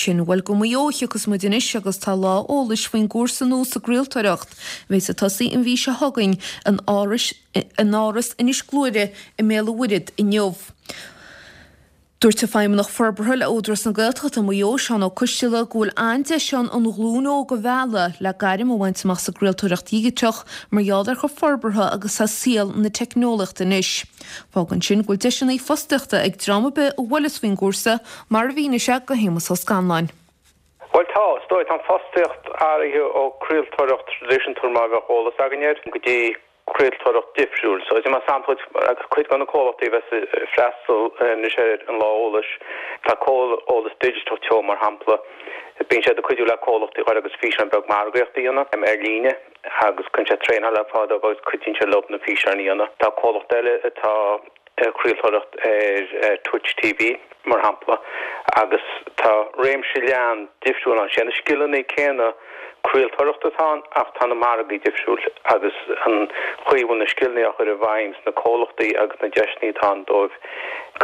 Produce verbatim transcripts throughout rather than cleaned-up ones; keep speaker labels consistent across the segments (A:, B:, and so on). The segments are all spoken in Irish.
A: sin. Bhuel go Maigh Eo a thiocfas muid anois agus tá lá eolais faoin gcúrsa nua sa gcraoltóireacht. A bheas ag tosaí an mhí seo chugainn in Áras in Áras Inis Gluaire i mBéal an Mhuirthead inniu. Dúirt an Feidhmeannach Forbartha le Údarás na Gaeltachta Maigh Eo Seán Ó Coisteala go bhfuil an-deis ann an ghlúin óg a mhealladh le gairm a bhaint amach sa gcraoltóireacht dhigiteach mar gheall ar chomh forbartha agus atá saol na teicneolaíochta anois. Fágann sin go bhfuil deiseanna fostaíochta ag dream ar bith a bhuaileas faoin gcúrsa mar a mhínigh sé do Shéamus Ó Scanláin.
B: Well tá is dóigh tá fostaíocht athraithe ó craoltóireacht traidisiúnta mar a bheadh eolas againn air go dtí craoltóireacht difriúil. So mar sampla cuid de na comhlachtaí bheas freastal anois ar an lá eolais tá Eolas Digiteach Teo mar shampla bíonn sé ag cuidiú le comhlachtaí chuir agus físeán beag margaíochta a dhéanamh ar líne agus cuireann sé traenáil ar fáil agus cuidíonn sé leo na físeáin a dhéanamh. Tá comhlacht eile atá craoltóireacht ar Twitch TV mar shampla agus tá réimse leathan difriúil ann sé na scileanna céanna craoltóireachta atá ann ach tá na margaí difriúil agus an chaoi a bhfuil na scileanna á chur i bhfeidhm sna comhlachtaí agus na deiseanna atá ann dóibh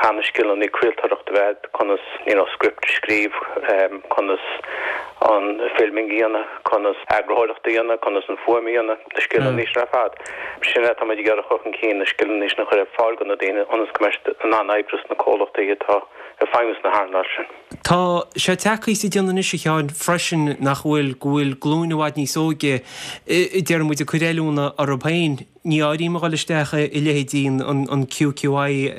B: gan na scileanna craoltóireachta bheith conas you know, script scríobh um, conas an filming a dhéanamh, conas eagarthóireacht a dhéanamh, conas an fuaim a dhéanamh, na scileanna sin ar fad. Sin atá muid ag iarraidh a chur chun cinn na scileanna sin a chur ar fáil do na daoine ionas go mbeidh siad in ann oibriú sna comhlachtaí atá ag feidhmiú sna hearnáil sin.
C: Tá sé tagtha sa déanamh anois a Sheáin freisin nach bhfuil go bhfuil glúin i bhfad níos óige deir muid ag cur oiliúna orthu féin. Ní áirím a dhul isteach i leithéidí an, an QQI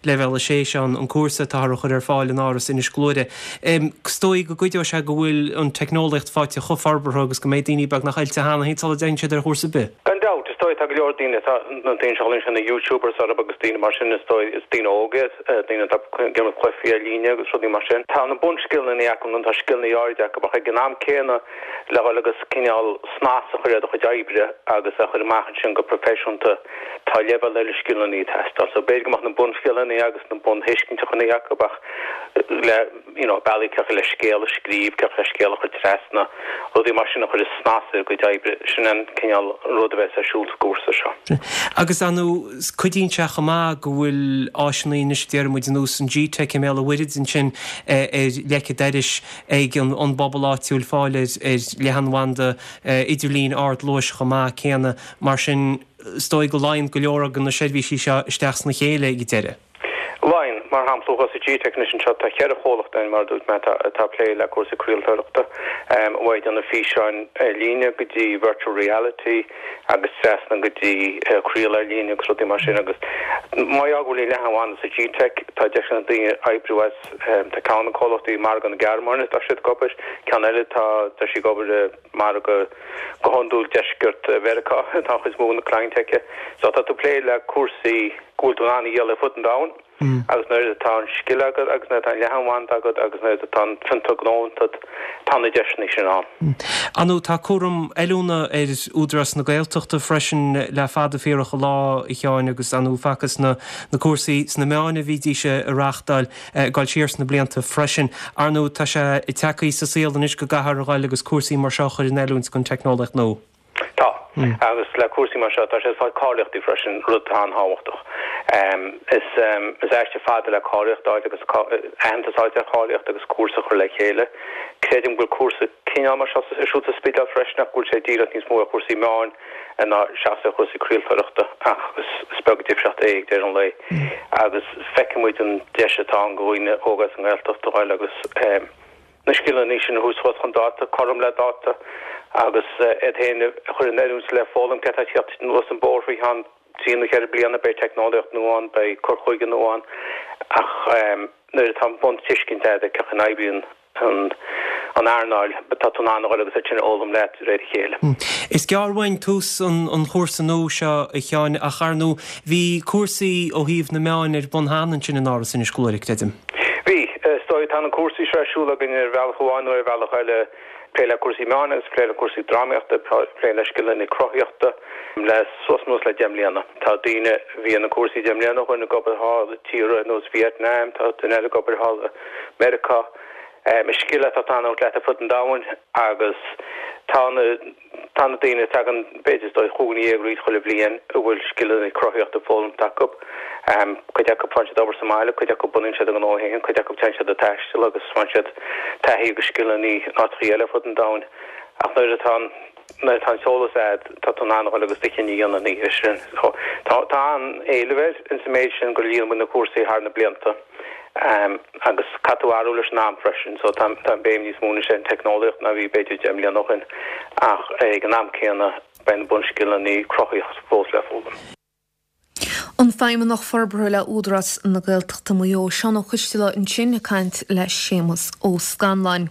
C: leibhéal a sé an an cúrsa atá a chur ar fáil in Áras Inis Gluaire. Is dóigh go gcuideoidh sé go bhfuil an teicneolaíocht faighte chomh forbartha agus go mbeidh daoine beag nach oilte cheana féin sula dtéann siad ar chúrsa ar bith.
B: Gan dabht is dóigh tá go leor daoine tá na daoine seo sin na YouTubers orthu agus daoine mar sin is dóigh is daoine óga daoine atá ag imirt cluichí ar líne agus rudaí mar sin. Tá na bunscileanna acu nó tá scileanna áirid acu ach ag an am céanna le dhul agus cineál snas a chur ar do chuid oibre agus a chur amach ansin go proifisiúnta tá leibhéal eile scileanna ag teastáil. So b'fhéidir go mbeadh na bunscileanna agus na bunthuiscintí acu ach le you know, bealaí cecha le scéal a scríobh, cecha le scéal a chur trasna, rudaí mar sin a chur snas ar a gcuid oibre sin an cineál rud a bheas ar siúl sa gcúrsa seo.
C: Agus anú cuidíonn sé chomh maith go bhfuil áiseanna anois deir muid ar nós an G-Tech i mBéal an Mhuirthead ansin ar leic an dorais ag an, an bpobal áitiúil fáil ar, ar leathanbhanda idirlín ardluais chomh maith céanna mar sin is dóigh go luíonn go leor de na seirbhísí seo isteach sna chéile ag deireadh.
B: Luíonn mar shampla sa G-Tech sin seo tá ceithre chomhlacht ann mar dúirt mé atá plé le cúrsaí craoltóireachta um, uaidh na físeáin ar líne go dtí virtual reality agus trasna go dtí uh, craoladh ar líne agus rudaí mar sin agus má bhfuil leathanbhanda sa G-Tech tá deis ag daoine oibriú as um, tá ceann na comhlachtaí margadh na Gearmáine tá siad ag obair ceann eile tá tá sí ag obair margadh go hiondúil deisceart Mheiriceá tá chuid mó na client aici so tá tú plé le cúrsaí go bhfuil tú in ann a dhéanamh fud an domhain Mm. agus nuair atá an scil agat agus nuair atá an leathanbhanda agat agus nuair atá an fiontar gnó agat tá na deiseanna sin ann.
C: Anú tá cúram oiliúna ar Údarás na Gaeltachta freisin le fada fíorach an lá a Sheáin agus anú facthas na, na cúrsaí sna meáin a bhídís a reáchtáil ag dul siar sna blianta freisin. Arnú tá sé tagtha sa saol anois go gcaithfear a ghabháil agus cúrsaí mar seo chur in oiliúint don teicneolaíocht nua.
B: Tá mm. agus le cúrsaí mar seo tá sé fáil cáilíochtaí freisin rud an-tábhachtach. Um, is um, is aistear fada le cáilíocht agus aitheantas ar cháilíocht agus cúrsa chur le chéile. Creidim go bhfuil cúrsa cineál mar seo ar siúl sa Spidéal freisin ach bhfuil sé díreach níos mó ar chúrsaí meáin ná seachas ar chúrsaí craoltóireachta ach is, is beag difríocht é ag deireadh an lae. Mm. Agus feicimid an deis atá ann do dhaoine óga as an nGaeltacht a ghabháil agus um, na scileanna sin a thabhairt chun dáta, cothrom le dáta agus iad féin a chur in oiriúint le foghlaim cé atá teacht anuas an bóthar faoi cheann trí nó ceithre bliana beidh teicneolaíocht nua ann, beidh cur chuige nua ann ach um, nuair atá an buntuiscint agat cén chaoi a n-oibríonn an an earnáil tá tú in ann agus é sin a fhoghlaim leat de réir a chéile.
C: Hmm. Is gearr uainn tús an, an chúrsa nua seo a Sheáin ach ar ndóigh bhí cúrsaí ó thaobh na meáin ar bun cheana ansin in Áras Inis Gluaire creidim.
B: Bhí is dóigh tá na cúrsaí seo ar siúl againn ar bhealach amháin nó ar bhealach eile plé le cúrsaí meán agus plé le cúrsaí drámaíochta plé le scileanna cruthaíochta le suas anuas le deich mbliana. Tá daoine bhí na cúrsaí deich mbliana ó shin ag obair thall i tíortha ar nós Vietnam, tá duine eile ag obair thall i Meiriceá. Um, is scil atá ag fanacht leat fud an domhain agus tá na tá na daoine tagann b'fhéidir dóigh chúig déag chuile bhliain a bhfuil scileanna cruthaíochta foghlamtha acu Cuid acu faigheann siad obair sa mbaile, cuid acu bunaíonn siad a ngnó féin, cuid acu téann siad ag taisteal agus faigheann siad taithí agus scileanna in áiteachaí eile ar fud an domhain. Ach nuair atá an nuair atá an t-eolas a'd, tá tú in ann a dhul agus do chinneadh a dhéanamh ina dhiaidh sin. So tá tá an-éileamh air ins an méid sin gur líon muid na cúrsaí thar na blianta. Agus caithfidh tú athrú leis an am freisin, so tá tá an béim níos mó anois ar an teicneolaíocht ná bhí b'fhéidir deich mbliana ó shin ach ag an am céanna beidh na bunscileanna cruthaitheachta fós le foghlaim.
A: An Feidhmeannach Forbartha le Údarás na Gaeltachta Maigh Eo, Seán Ó Coistealbha ansin ag caint le Séamus Ó Scanláin.